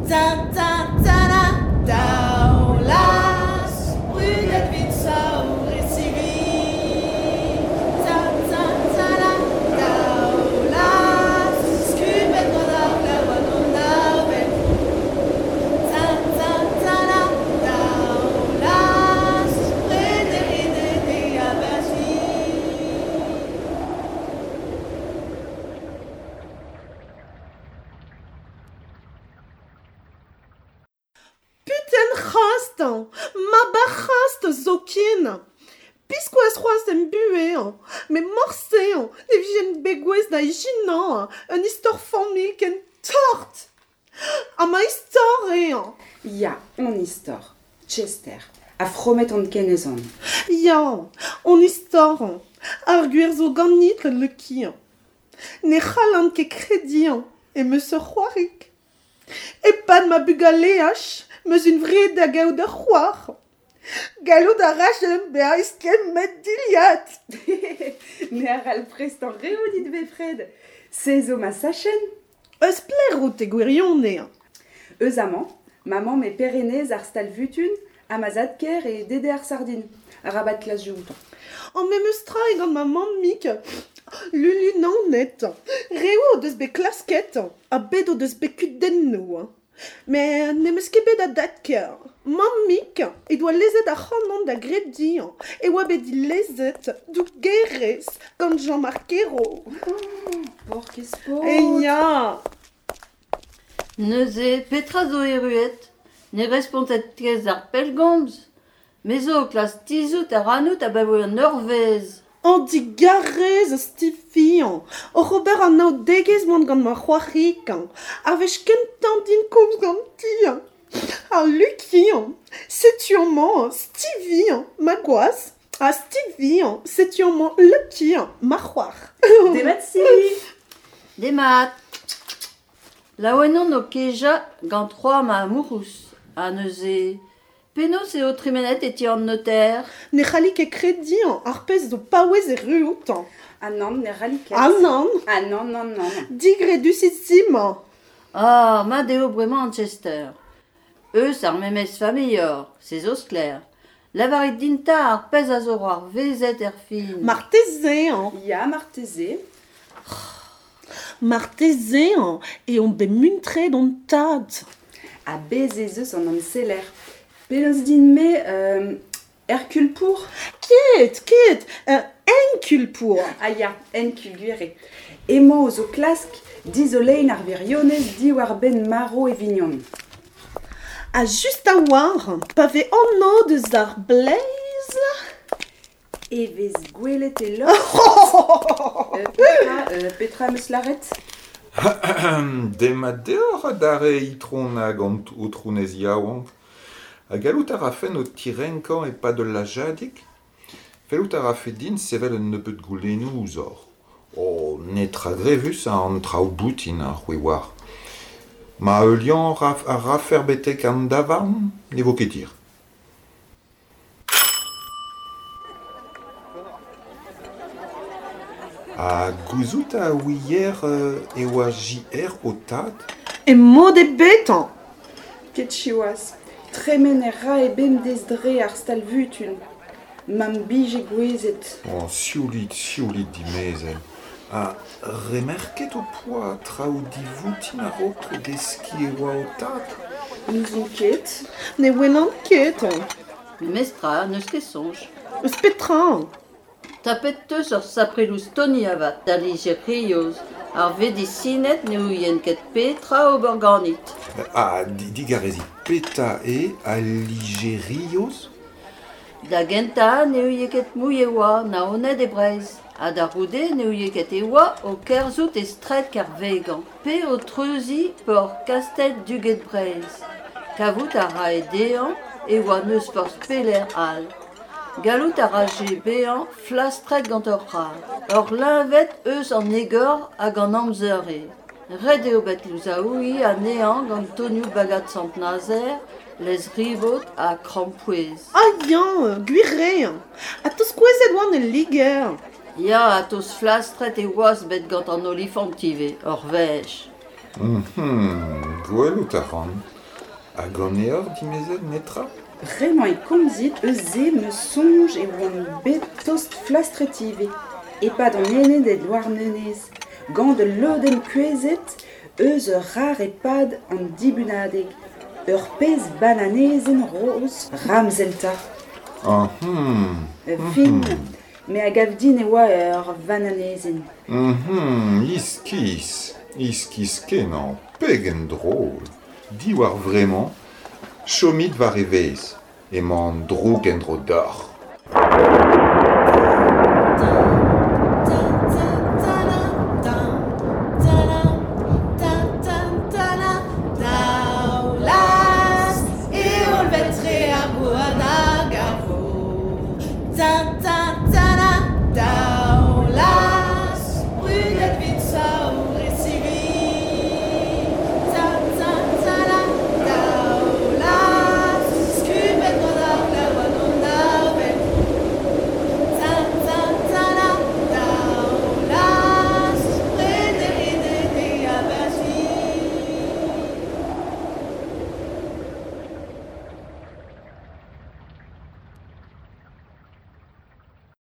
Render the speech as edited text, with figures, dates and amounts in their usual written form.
Ta ta ta da daoulaz brudet 'vit saour e sivi Ta ta ta da daoulaz skubet gant ar glav hag an avel Ta ta ta da daoulaz prederiet e aberzi. Puten c'hast, mab ar c'hast zoken. Biskoazh c'hoazh em buhez, met morse ne vijen bet gouest da ijinañ un istor familh ken tort. Ha ma istor eo. Ya, hon istor. Chester. Ha fromet on ken ez on. Ya, hon istor. Ar gwir zo ganit, Lucky. Ne c'hallan ket krediñ em eus ur c'hoarig. E-pad ma bugaleaj 'm eus hunvreet da gaout ur c'hoar. Gallout a rajen bezañ eskemmet dilhad. Me a c'hall prestañ reoù dit bepred. Se zo ma sachenn. Eus pelec'h out e gwirionez? Eus amañ, ma mamm eo Perenez ar stal-vutun ha ma zad-kaer eo Dede ar sardin. Arabat klask outañ. An memes tra eo gant ma mammig, Lulu Naoned. Reoù o deus bet klasket ha bet o deus bet kudennoù. Met n'em eus ket bet a dad-kaer. Mammig he doa lezet ac'hanon da grediñ e oa bet dilezet dougerez gant Jean-Marc Ayrault. Paourkaezh paotr! E ya! Neuze, petra zo erruet ? Ne respontet ket d'ar pellgomz ? Me zo o klask tizhout ac'hanout abaoe un eurvezh. An digarez, Stevie, oc'h ober anaoudegezh 'oan gant ma c'hoarig. Ar wech kentañ din komz ganti. Ha Lucky, setu amañ Stevie, ma gwaz, ha Stevie, setu amañ Lucky, ma c'hoar. Demat Stevie ! Demat. Laouen on o kejañ gant c'hoar ma amourouz. Ha neuze, penaos eo tremenet e ti an noter ? Ne c'halli ket krediñ ar pezh zo paouez erruout. Ah nann, ne c'halli ket. Ah nann. Ah nann, nann, nann. Digredus-int. Ah, mat eo bremañ Chester. Eus ar memes familh oc'h, se zo sklaer. Lavarit din 'ta ar pezh a zo c'hoarvezet er fin. Marteze. Ya, marteze. Marteze eo bet muntret hon tad. Ha bez' ez eus an amseller. Penaos din-me Hercule Pour ? Ket, ket, Hercule Pour. Ah ya, Hercule gwir eo. Emañ ouzh o klask dizoleiñ ar wirionez diwar-benn marv e vignon. Ha just a-walc'h, pa vez anv deus ar bleiz... E vez gwelet e lost. Petra, petra 'm eus lâret ? Demat deoc'h adarre itron hag aotrounez yaouank. Ha gallout a rafen ho tirenkañ e-pad ul lajadig ? Fellout a rafe din sevel un nebeud goulennoù ouzhoc'h. Oh, netra grevus an traoù boutin, c'hwi 'oar. Ma heuliañ a rafec'h betek an davarn ? Ne vo ket hir. Ha gouzout a ouier e oa JR ho tad ? E mod ebet ! Ket siwazh. Tremen e rae bemdez dre ar stal-vutun. Ma'm bije gouezet. Oh, sioulit, sioulit dimezell. Ha remerket ho poa traoù divoutin a-raok deskiñ e oa ho tad ? N'ouzon ket. Ne welan ket. Memestra, n'eus ket soñj. Eus petra ? Tapet 'teus ur sapre loustoni avat, da Ligerioz. Ar vedisined ne ouient ket petra ober ganit. Ha digarezit, petra eo al Ligerioz ? Da gentañ ne ouie ket mui e oa Naoned e Breizh, ha da c'houde ne ouie ket e oa o kerzhout e straed Kervegañ pe o treuziñ porzh Kastell Duged Breizh. Kavout a rae dezhañ e oa n'eus forzh pelec'h all. Gallout a raje bezañ flastret gant ur c'harr. Ur leñved eus an egor hag an amzer eo. Ret eo bet louzaouiñ anezhañ gant tonioù bagad Sant-Nazer, laezh-ribot ha krampouezh. Ah ya, gwir eo. Ha 'teus kouezhet oan el Liger. Ya, ha 'teus flastret e oas bet gant an olifant ivez, ur wech. Gwelout a ran. Hag ganeoc'h dimezell netra? Bremañ e komzit eus se 'm eus soñj e oan bet tost flastret ivez, e-pad an ened e Douarnenez, gant ul lodenn kouezhet eus ur c'harr e-pad an dibunadeg, ur pezh bananezenn roz ramzel 'ta. Ah hum Fin, me a gav din e oa ur vananezenn. Iskis, iskis-kenañ, pegen drol. Diwar vremañ, chomit war evezh, emañ an droug en-dro deoc'h.